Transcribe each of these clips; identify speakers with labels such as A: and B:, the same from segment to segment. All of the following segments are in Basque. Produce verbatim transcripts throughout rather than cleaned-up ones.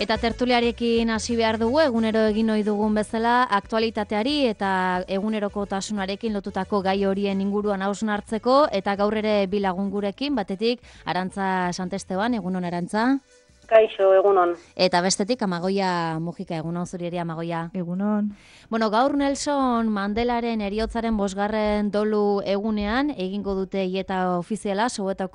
A: Eta tertuliarekin hasi behar dugu, egunero egin ohi dugun bezala, aktualitateari eta egunerokotasunarekin lotutako gai horien inguruan hausnartzeko, eta gaur ere bi lagun gurekin, batetik Arantza Santesteban, egunon Arantza.
B: Kaixo, egunon.
A: Eta bestetik Amagoia Mujika, egunon zuri ere Amagoia.
C: Egunon.
A: Bueno, gaur Nelson Mandelaren heriotzaren bosgarren dolu egunean, egingo dute hieta ofiziala Soweto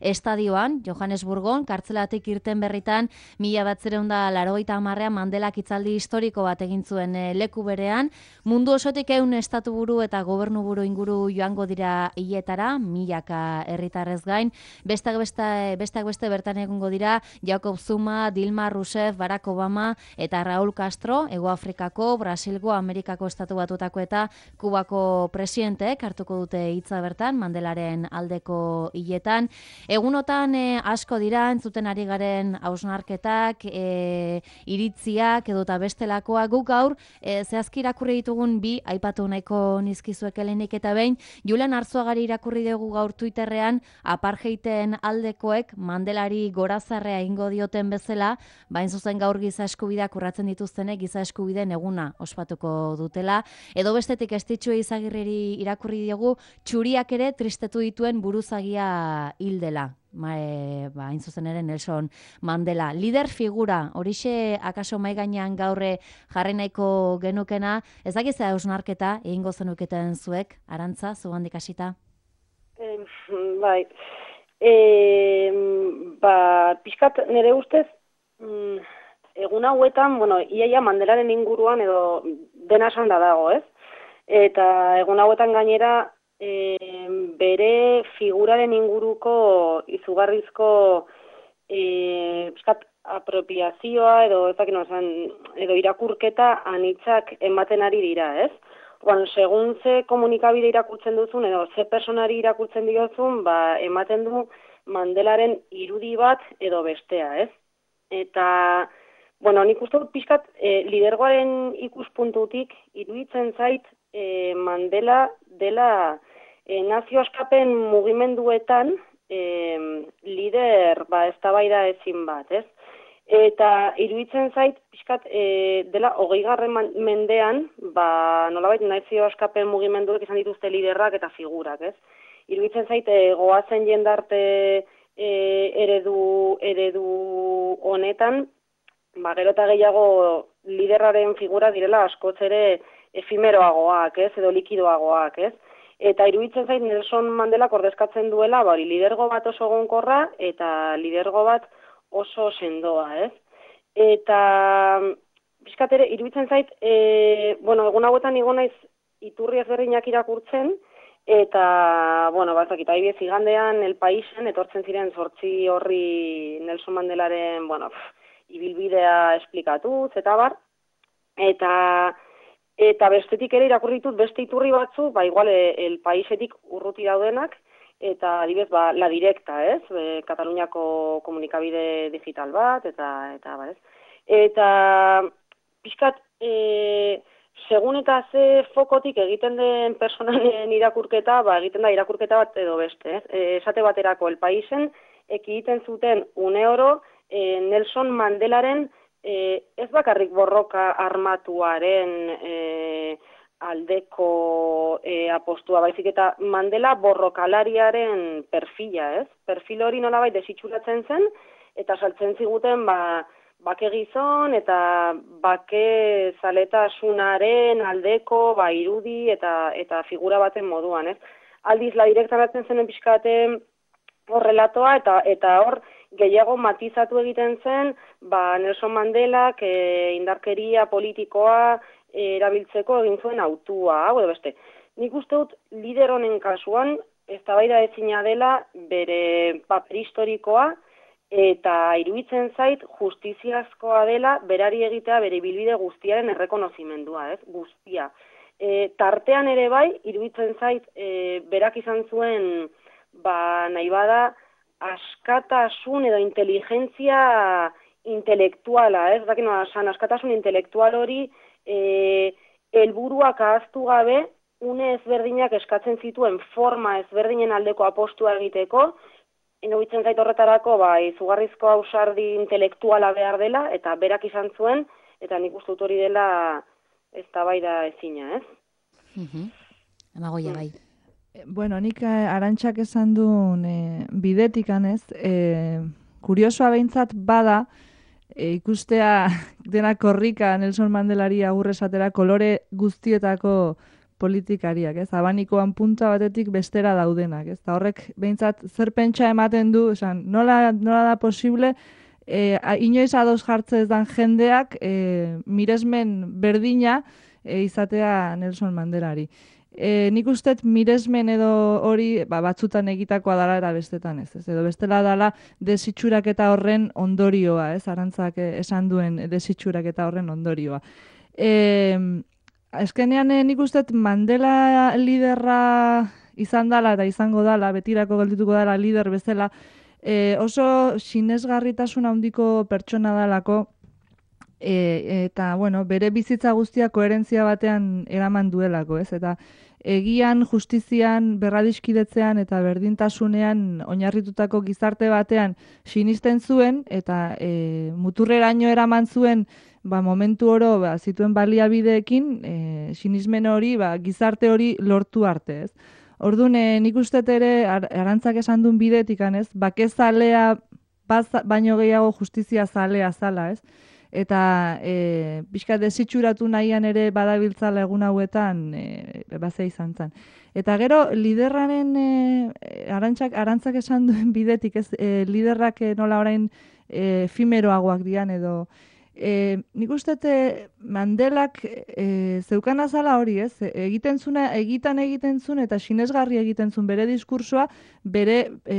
A: estadioan, Johannesburgon, kartzelatik irten berritan, mila batzireun da laurogeita hamarrean Mandelak hitzaldi historiko bat egin zuen e, leku berean, mundu osotik ehun estatu buru eta gobernu buru inguru joango dira hietara, milaka herritarrez gain, besteak beste, besteak beste bertan egongo dira, Jacob Zuma, Dilma Rousseff, Barack Obama eta Raúl Castro, Hego Afrikako, Brasilgo, Amerikako estatu batutako eta Kubako presidenteek hartuko dute hitza bertan, Mandelaren aldeko hiletan. Egunotan e, asko dira, entzuten ari garen hausnarketak, e, iritziak edota bestelakoa, guk gaur, e, zehazki irakurri ditugun bi, aipatu nahiko nizkizuek helenik eta behin, Julen Arzuagari irakurri dugu gaur Twitterrean, apartheiden aldekoek Mandelari gorazarrea ingo dio bezala, bain zuzen gaur giza eskubideak urratzen dituztenek giza eskubideen eguna ospatuko dutela. Edo bestetik Estitxu Izagirreri irakurri diogu, txuriak ere tristetu dituen buruzagia hildela. Ma, e, ba, hain zuzen ere Nelson Mandela. Lider figura, horixe akaso mai gainean gaurre jarri nahiko genukena, ez dakiza hausnarketa egingo zenuketen zuek, Arantza, zugandik hasita?
B: Eh, bai. E, ba, pixkat nire ustez, mm, egun hauetan, bueno, iaia Mandelaren inguruan edo dena esan da dago, ez? Eta egun hauetan gainera, e, bere figuraren inguruko izugarrizko e, pixkat apropiazioa edo ezak no, edo irakurketa anitzak ematen ari dira, ez? Bueno, segun ze komunikabide irakurtzen duzun edo ze personari irakurtzen diozun, ba, ematen du Mandelaren irudi bat edo bestea, ez? Eta, bueno, nik uste dut pixkat e, lidergoaren ikuspuntutik iruditzen zait e, Mandela dela e, nazio askapen mugimenduetan e, lider ba, eztabaida ezin bat, ez? Eta iruditzen zait, pixkat, e, dela hogeigarren mendean, ba, nolabait nazio askapen mugimenduek izan dituzte liderrak eta figurak, ez? Iruditzen zait, e, goazen jendarte e, eredu, eredu honetan, ba, gero eta gehiago liderraren figura direla askoz ere efimeroagoak, ez? Edo likidoagoak, ez? Eta iruditzen zait Nelson Mandelak ordezkatzen duela, ba, lidergo bat oso gonkorra eta lidergo bat oso sendoa, ez? Eta, pixkat ere, iruditzen zait, e, bueno, egun hauetan igo naiz iturri ezberdinak irakurtzen, eta, bueno, batzakita, aibez igandean El Paisen, etortzen ziren zortzi horri Nelson Mandelaren, bueno, pff, ibilbidea esplikatuz, eta bar, eta, eta bestetik ere irakurri ditut beste iturri batzu, ba, igual, El Paisetik urruti daudenak, eta adibez, ba, La Directa, ez? E, Kataluniako komunikabide digital bat, eta, eta, ba, ez? Eta, pixkat, e, segun eta ze fokotik egiten den personalen irakurketa, ba, egiten da irakurketa bat edo beste, ez? E, esate baterako El Paisen, ekiten zuten une oro, e, Nelson Mandelaren, e, ez bakarrik borroka armatuaren, e, aldeko e, apostua, baizik eta Mandela borrokalariaren perfila, ez? Perfil hori nolabait desitxuratzen zen, eta saltzen ziguten, ba, bake gizon eta bake zaletasunaren aldeko, ba, irudi eta eta figura baten moduan, ez? Aldiz, La Directa batzen zenen pixkate horrelatoa, eta eta hor gehiago matizatu egiten zen, ba, Nelson Mandelak e, indarkeria politikoa erabiltzeko egin zuen autua, hau edo beste. Nik uste dut lider honen kasuan, eztabaida ezina dela bere paper historikoa, eta iruditzen zait justiziazkoa dela berari egitea bere bilbide guztiaren errekonozimendua, ez? Guztia. E, tartean ere bai, iruditzen zait e, berak izan zuen, ba, nahi bada, askatasun edo inteligentzia intelektuala, ez? Dakin nola, askatasun intelektual hori E, helburuak ahaztu gabe, une ezberdinak eskatzen zituen forma ezberdinen aldeko apostua egiteko, iruditzen zait horretarako, ba, izugarrizko ausardi intelektuala behar dela, eta berak izan zuen, eta nik uste dut hori dela eztabaida ezina, ez?
A: Mhm. Amagoia bai.
C: Bueno, nik Arantxak esan duen e, bidetikan ez, e, kuriosoa behintzat bada, e, ikustea dena korrika Nelson Mandelari agur esatera kolore guztietako politikariak, ez? Abanikoan punta batetik bestera daudenak, ez? Ta horrek behintzat zer pentsa ematen du, esan, nola, nola da posible, e, inoiz ados jartze ez dan jendeak e, miresmen berdina e, izatea Nelson Mandelari. E, nik usteet miresmen edo hori ba, batzutan egitakoa dala eta bestetan ez, ez. Edo bestela dala desitxurak eta horren ondorioa, ez? Arantzak esan duen desitxurak eta horren ondorioa. E, Azkenean nik usteet Mandela liderra izan dala eta izango dala, betirako geldituko dala lider bezala, e, oso sinesgarritasun handiko pertsona dalako, e, eta bueno, bere bizitza guztia koherentzia batean eraman duelako, ez? Eta egian, justizian, berradiskidetzean eta berdintasunean oinarritutako gizarte batean sinisten zuen eta e, muturreraino eraman zuen ba, momentu oro ba, zituen baliabideekin e, sinismen hori, ba, gizarte hori lortu arte, ez? Orduan, e, nik usteet ere ar, Arantzak esan duen bidetikan, ez? Bakezalea baino gehiago justizia zalea zala, ez? Eta e, pixka desitxuratu nahian ere badabiltzala egun hauetan e, bazea izan zen. Eta gero, liderraren e, arantzak, arantzak esan duen bidetik, ez, e, liderrak nola orain e, efimeroagoak dian edo e, nik uste Mandelak e, zeukan azala hori, ez? Egiten zuna, egitan egiten zuen eta sinesgarri egiten zuen bere diskursoa bere e,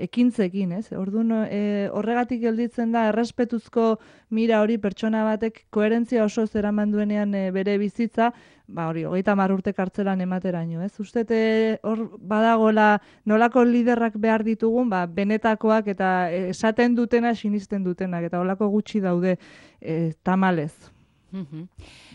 C: ekintzekin, ez? Orduan e, horregatik gelditzen da errespetuzko mira hori pertsona batek koherentzia oso zeraman duenean e, bere bizitza, ba hori, hogeita hamar urte kartzelan emateraino, ez? Uste hor badagola nolako liderrak behar ditugun, ba benetakoak eta esaten dutena sinisten dutenak, eta holako gutxi daude e, tamalez.
A: Mm-hmm.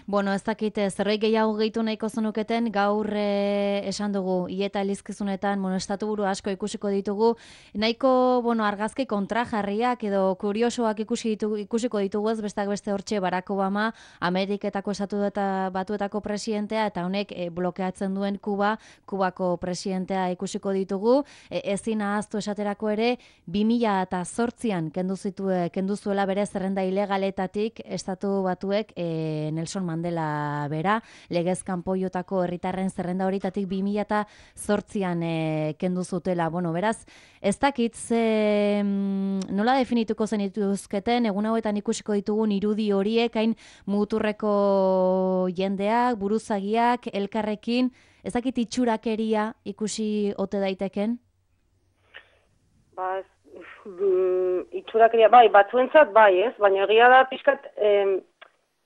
A: Bueno, ez dakit, zerbait gehiago gehitu nahiko zenuketen, gaur e, esan dugu, ieta elizkizunetan, bueno, estatu buru asko ikusiko ditugu, nahiko, bueno, argazki kontrajarriak edo kuriosoak ikusi ditugu, ikusiko ditugu ez, bestak beste hortxe Barack Obama, Ameriketako estatu eta batuetako presidentea, eta honek e, blokeatzen duen Kuba, Kubako presidentea ikusiko ditugu, e, ezin ahaztu esaterako ere, bi mila zortzian kendu zitue, kendu zuela bere zerrenda ilegaletatik estatu batuek e, Nelson Mandela bera, legez kanpoiotako herritarren zerrenda horitatik bi mila zortzian e, kendu zutela. Bueno, beraz, ez dakit ze nola definituko zen dituzketen, egun hauetan ikusiko ditugun irudi horiek, hain muturreko jendeak, buruzagiak, elkarrekin, ez dakit itxurakeria ikusi ote daiteken?
B: Ba, itxurakeria, bai, batzuentzat bai, ez? Baina egia da pixkat... Em,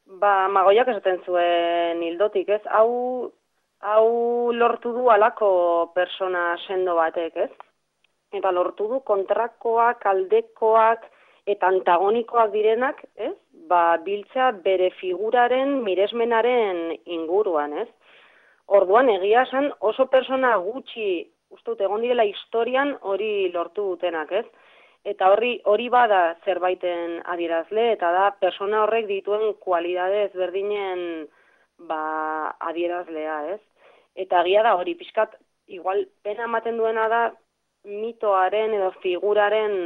B: Ba, Magoiak esaten zuen hildotik, ez? Hau, hau lortu du alako persona sendo batek, ez? Eta lortu du kontrakoak, aldekoak eta antagonikoak direnak, ez? Ba, biltzea bere figuraren, miresmenaren inguruan, ez? Orduan, egia esan oso persona gutxi, uste dut, egon direla historian hori lortu dutenak, ez? Eta horri hori bada zerbaiten adierazle, eta da persona horrek dituen kualidade ezberdinen ba, adierazlea, ez? Eta egia da hori pixkat, igual pena ematen duena da mitoaren edo figuraren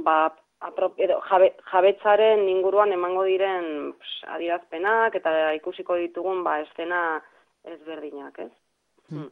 B: ba, aprop, edo jabe, jabetzaren inguruan emango diren pss, adierazpenak eta ikusiko ditugun ba, estena ezberdinak, ez?
A: Hmm.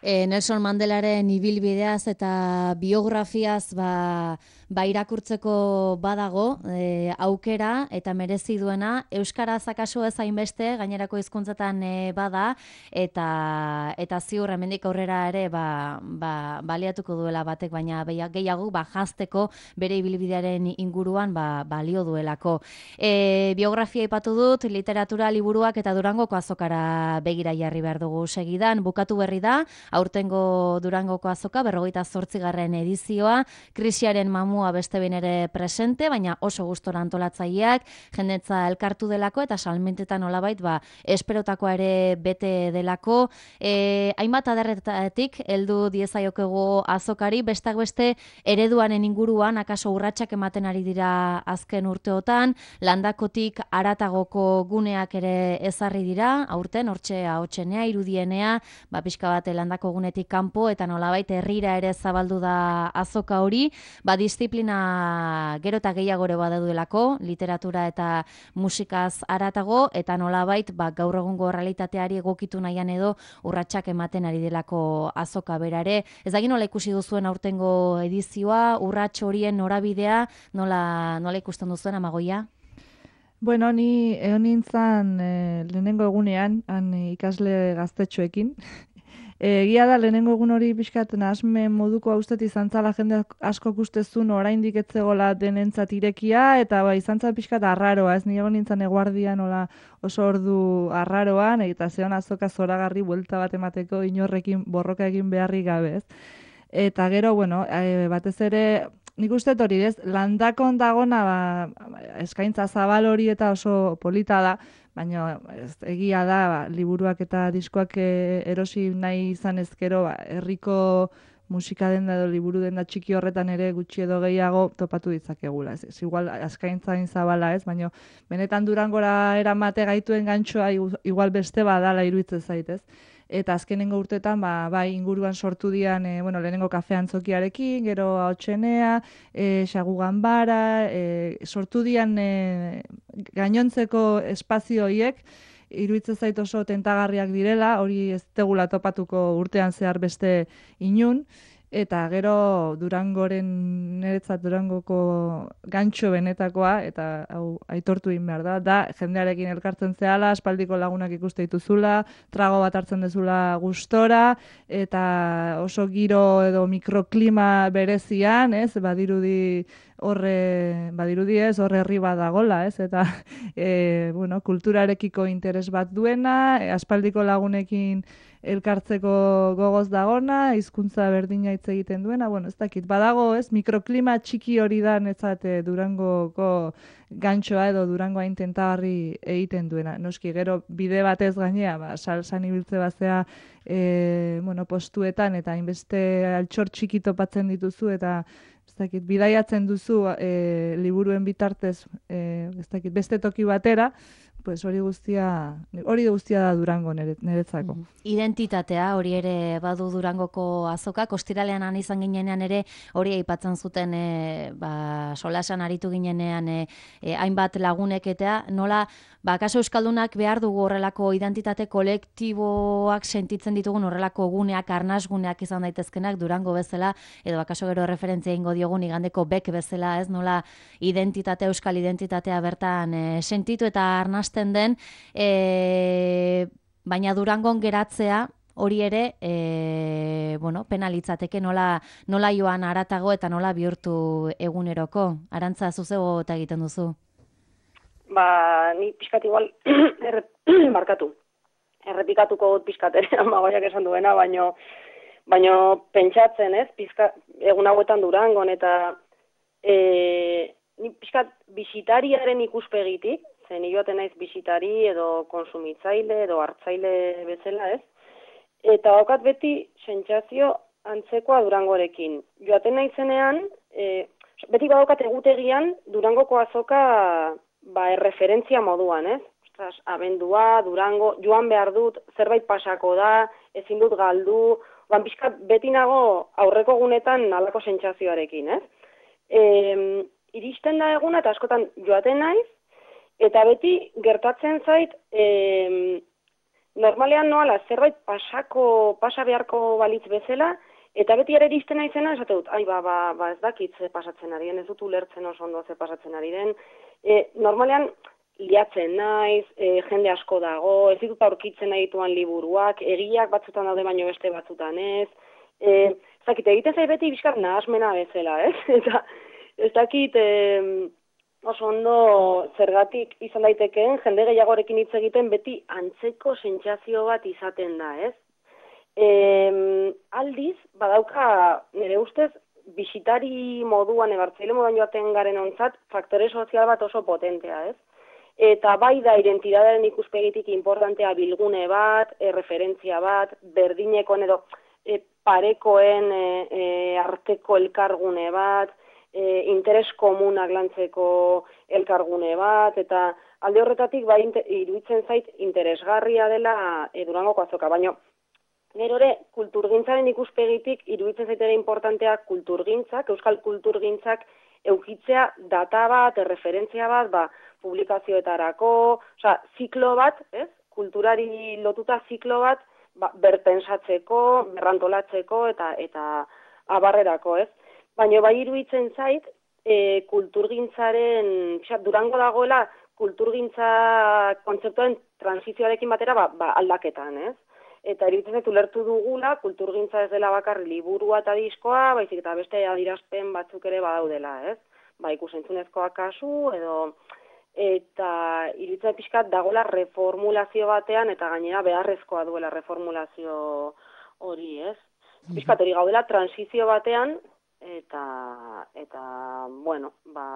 A: E, Nelson Mandelaren ibilbideaz eta biografiaz ba, ba irakurtzeko badago e, aukera eta merezi duena, euskaraz akaso ez hainbeste, gainerako hizkuntzetan e, bada eta eta ziur hemendik aurrera ere ba, ba, baliatuko duela batek, baina gehiago ba jazteko bere ibilbidearen inguruan ba, balio duelako. E, biografia aipatu dut, literatura liburuak eta Durangoko azokara begira jarri behar dugu segidan, bukatu berri da, aurtengo Durangoko azoka, berrogeita zortzigarren edizioa, krisiaren mamu mamua beste behin ere presente, baina oso gustora antolatzaileak, jendetza elkartu delako eta salmentetan nolabait ba esperotakoa ere bete delako. E, hainbat adarretatik heldu diezaiokegu azokari, bestak beste ereduaren inguruan akaso urratsak ematen ari dira azken urteotan, landakotik aratagoko guneak ere ezarri dira, aurten hortxe ahotsenea, irudienea, ba pixka bat landako gunetik kanpo eta nolabait herrira ere zabaldu da azoka hori, ba disiplina gero eta gehiago ere baduelako, literatura eta musikaz aratago eta nolabait ba gaur egungo realitateari egokitu nahian edo urratsak ematen ari delako azoka berare. Ez dakit nola ikusi duzuen aurtengo edizioa, urrats horien norabidea, nola nola ikusten duzuen Amagoia?
C: Bueno, ni egon nintzen e, lehenengo egunean, han ikasle gaztetxoekin. Egia da, lehenengo egun hori pixkat nahasmen moduko haustet izan zala jende asko kustezun oraindik etzegola denentzat irekia, eta ba, izan zala pixkat arraroa, ez ni egon nintzen eguardian ola oso ordu arraroan, eta zeon azoka zoragarri buelta bat emateko inorrekin borroka egin beharrik gabe, ez? Eta gero, bueno, e, batez ere, nik uste hori, ez, landakon dagona, ba, eskaintza zabal hori eta oso polita da, baina ez, egia da, ba, liburuak eta diskoak e, erosi nahi izan ezkero, ba, herriko musika denda edo liburu denda txiki horretan ere gutxi edo gehiago topatu ditzakegula. Ez, ez igual eskaintza zabala ez, baina benetan Durangora eramate gaituen gantxoa igual beste badala iruditzen zaitez. Eta azkenengo urtetan, ba, bai inguruan sortu dian, e, bueno, lehenengo kafe antzokiarekin, gero ahotsenea, e, xagu ganbara, e, sortu dian e, gainontzeko espazio horiek, iruditzen zait oso tentagarriak direla, hori ez tegula topatuko urtean zehar beste inun, eta gero Durangoren, niretzat Durangoko gantxo benetakoa, eta hau aitortu egin behar da, da jendearekin elkartzen zehala, aspaldiko lagunak ikuste dituzula, trago bat hartzen dezula gustora, eta oso giro edo mikroklima berezian, ez, badirudi horre, badirudi ez, horre herri bat dagola, ez, eta e, bueno, kulturarekiko interes bat duena, e, aspaldiko lagunekin elkartzeko gogoz dagona, hizkuntza berdina hitz egiten duena, bueno, ez dakit, badago, ez, mikroklima txiki hori da netzate Durangoko gantxoa edo Durangoa intentagarri egiten duena. Noski, gero bide batez gainea, ba, salsan ibiltze bazea, e, bueno, postuetan, eta hainbeste altxor txiki topatzen dituzu, eta ez dakit, bidaiatzen duzu e, liburuen bitartez, e, ez dakit, beste toki batera, pues hori guztia, hori guztia da Durango niretzako.
A: Identitatea hori ere badu Durangoko azoka, ostiralean han izan ginenean ere hori aipatzen zuten e, ba, solasan aritu ginenean e, e, hainbat lagunek eta nola ba, kaso euskaldunak behar dugu horrelako identitate kolektiboak sentitzen ditugun horrelako guneak, arnasguneak izan daitezkenak Durango bezala, edo akaso gero referentzia ingo diogun igandeko bek bezala, ez nola identitatea, euskal identitatea bertan e, sentitu eta arnasten den, e, baina Durangon geratzea hori ere, e, bueno, penalitzateke nola, nola joan aratago eta nola bihurtu eguneroko. Arantza, zuzego eta egiten duzu?
B: Ba, ni pixkat igual, errep, markatu. Errepikatuko dut pixkat ere, Amagoiak esan duena, baino, baino pentsatzen, ez, pixka, egun hauetan Durangon, eta e, ni pixkat bisitariaren ikuspegitik, zen joaten naiz bisitari edo konsumitzaile edo hartzaile bezala, ez? Eta daukat beti sentsazio antzekoa Durangorekin. Joaten naizenean, e, beti badaukat egutegian Durangoko azoka ba, erreferentzia moduan, ez? Ostras, abendua, Durango, joan behar dut, zerbait pasako da, ezin dut galdu, ban pixka beti nago aurreko egunetan halako sentsazioarekin, ez? E, iristen da eguna eta askotan joaten naiz, eta beti gertatzen zait, e, normalean noala zerbait pasako, pasa beharko balitz bezala, eta beti ere iristen naizena esate dut, ai, ba, ba, ba ez dakit ze pasatzen ari den, ez dut ulertzen oso ondo ze pasatzen ari den. E, normalean liatzen naiz, e, jende asko dago, ez ditut aurkitzen nahi dituan liburuak, egiak batzutan daude baino beste batzutan ez. E, ez dakit, egiten zait beti bizkar nahasmena bezala, ez? Eta ez dakit... E, oso ondo zergatik izan daitekeen, jende gehiagorekin hitz egiten beti antzeko sentsazio bat izaten da, ez? E, aldiz, badauka, nire ustez, bisitari moduan, ebartzaile moduan joaten garen ontzat, faktore sozial bat oso potentea, ez? Eta bai da identitatearen ikuspegitik importantea bilgune bat, e, referentzia bat, berdinekoen edo e, parekoen e, e, arteko elkargune bat, e, interes komunak lantzeko elkargune bat, eta alde horretatik bai iruditzen zait interesgarria dela e, Durangoko azoka, baina gero ere, kulturgintzaren ikuspegitik iruditzen zaitera importantea kulturgintzak, euskal kulturgintzak eukitzea data bat, referentzia bat, ba, publikazioetarako, osea, ziklo bat, ez? Kulturari lotuta ziklo bat, ba, berpensatzeko, berrantolatzeko eta eta abarrerako, ez? Baina bai iruditzen zait, e, kulturgintzaren, xa, Durango dagoela kulturgintza kontzeptuen transizioarekin batera ba, ba, aldaketan, ez? Eta iruditzen zait ulertu dugula, kulturgintza ez dela bakarri liburua eta diskoa, baizik eta beste adierazpen batzuk ere badaudela, ez? Ba, ikusentzunezkoa kasu, edo eta iruditzen pixkat dagoela reformulazio batean, eta gainera beharrezkoa duela reformulazio hori, ez? Pixkat hori gaudela transizio batean, eta, eta bueno, ba,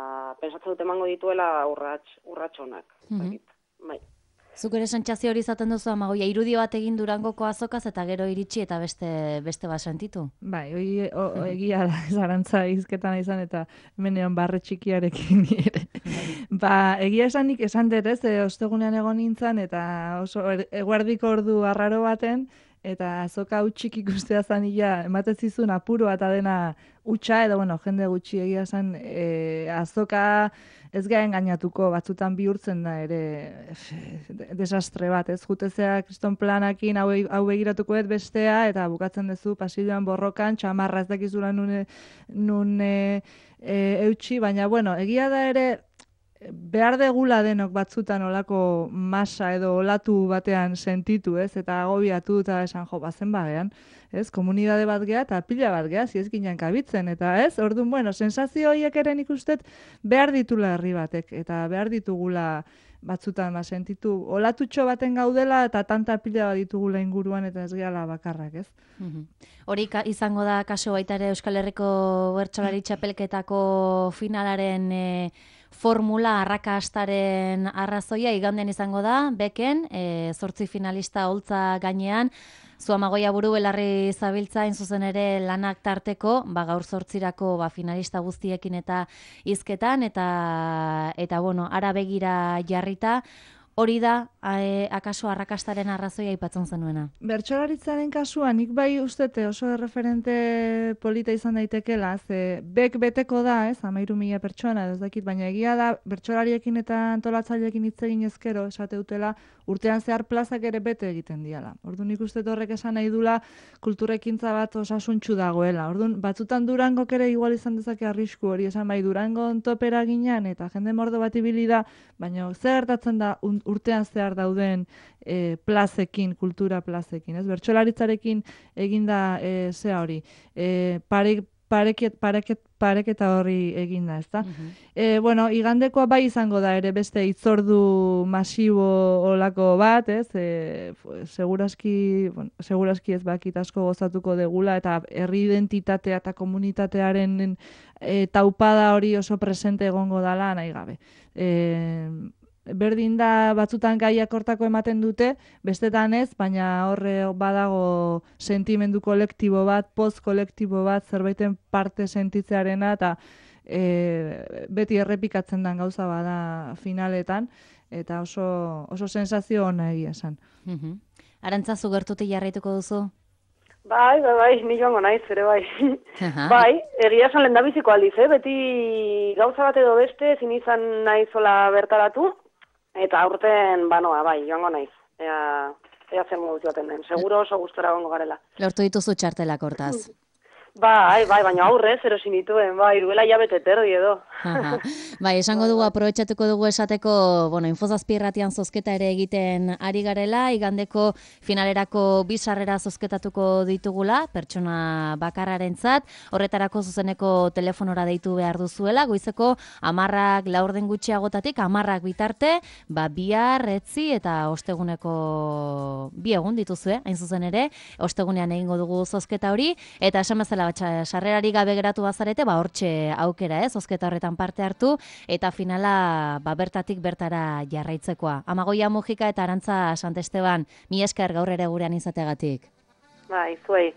B: pensatzen dut emango dituela urrats, urratxonak. Mm-hmm. Bai.
A: Zuk ere sentsazio hori izaten duzu, Amagoia, irudio bat egin Durangoko azokaz eta gero iritsi eta beste beste bat sentitu?
C: Bai, hori egia da, zarantza izketan izan eta hemenean barre txikiarekin ere. Ba, egia esanik esan dut ez, ostegunean egon nintzen eta oso eguerdiko ordu arraro baten, eta azoka utxik ikustea zanila, ematen zizun apuro eta dena utxa, edo bueno, jende gutxi egia zen, e, azoka ez gaen gainatuko, batzutan bihurtzen da ere desastre bat, ez jutezea kriston planakin hau, hau begiratuko ez bestea, eta bukatzen duzu pasilloan borrokan, txamarra ez dakizula nun, nun e, e, eutxi, baina bueno, egia da ere, behar degula denok batzutan olako masa edo olatu batean sentitu, ez? Eta agobiatu eta esan jo, bazen bagean, ez? Komunidade bat geha eta pila bat geha, ziez ginen kabitzen, eta ez? Orduan, bueno, sensazio horiek eren ikustet behar ditula herri batek, eta behar ditugula batzutan ba, sentitu olatutxo baten gaudela eta tanta pila bat ditugula inguruan eta ez gehala bakarrak, ez?
A: Mm-hmm. Hori izango da kaso baita ere Euskal Herriko Bertsolari Txapelketako finalaren e, formula arrakastaren arrazoia igandean izango da, beken, e, zortzi finalista holtza gainean, zu Amagoia buru belarri zabiltza in zuzen ere lanak tarteko, ba, gaur zortzirako ba, finalista guztiekin eta hizketan, eta, eta bueno, ara begira jarrita, hori da, e, akaso arrakastaren arrazoia aipatzen zenuena.
C: Bertsolaritzaren kasuan, nik bai ustete oso referente polita izan daitekela, ze bek beteko da, ez, amairu mila pertsona, ez dakit, baina egia da, bertsolariekin eta antolatzaileekin hitz egin ezkero, esate dutela, urtean zehar plazak ere bete egiten diala. Orduan nik uste horrek esan nahi dula kulturekintza bat osasuntxu dagoela. Orduan, batzutan Durangok ere igual izan dezake arrisku hori, esan bai Durango topera ginean eta jende mordo bat ibili da, baina zer gertatzen da urtean zehar dauden e, plazekin, kultura plazekin, ez? Bertsolaritzarekin eginda e, zea hori. E, pare, pareket, pareket, pareketa horri eginda, ezta? Uh-huh. E, bueno, igandekoa bai izango da ere beste hitzordu masibo olako bat, ez? E, seguraski, bueno, seguraski ez bakit asko gozatuko degula eta herri identitatea eta komunitatearen e, taupada hori oso presente egongo dala nahi gabe. E, Berdin da batzutan gaiak hortako ematen dute, bestetan ez, baina horre badago sentimendu kolektibo bat, poz kolektibo bat, zerbaiten parte sentitzearena, eta e, beti errepikatzen den gauza bada finaletan, eta oso, oso sensazio ona egia esan.
A: Mm-hmm. Arantzazu gertutik jarraituko duzu?
B: Bai, bai, bai, ni joango naiz, ere bai. Bai, egia esan lehendabiziko aldiz, eh? Beti gauza bat edo beste, ezin izan naizola bertaratu, eta aurten, banoa, bai, joango naiz. Ea, ea zer modu joaten den. Seguro oso gustora gongo garela.
A: Lortu dituzu txartelak hortaz.
B: Bai, bai, baina aurrez, erosin dituen, bai, iruela jabete terdi edo.
A: Bai, esango dugu, aprobetxatuko dugu esateko, bueno, Infozazpi irratian zozketa ere egiten ari garela, igandeko finalerako bizarrera zozketatuko ditugula, pertsona bakarrarentzat, horretarako zuzeneko telefonora deitu behar duzuela, goizeko amarrak laurden gutxiagotatik, amarrak bitarte, ba, bihar, etzi eta osteguneko bi egun dituzue, hain zuzen ere, ostegunean egingo dugu zozketa hori, eta esan bezala bezala, batxa, sarrerari gabe geratu bazarete, ba, hortxe aukera, ez, zozketa horretan parte hartu, eta finala, ba, bertatik bertara jarraitzekoa. Amagoia Mujika eta Arantza Santesteban, mi esker gaur ere gurean izateagatik.
B: Bai, zuei.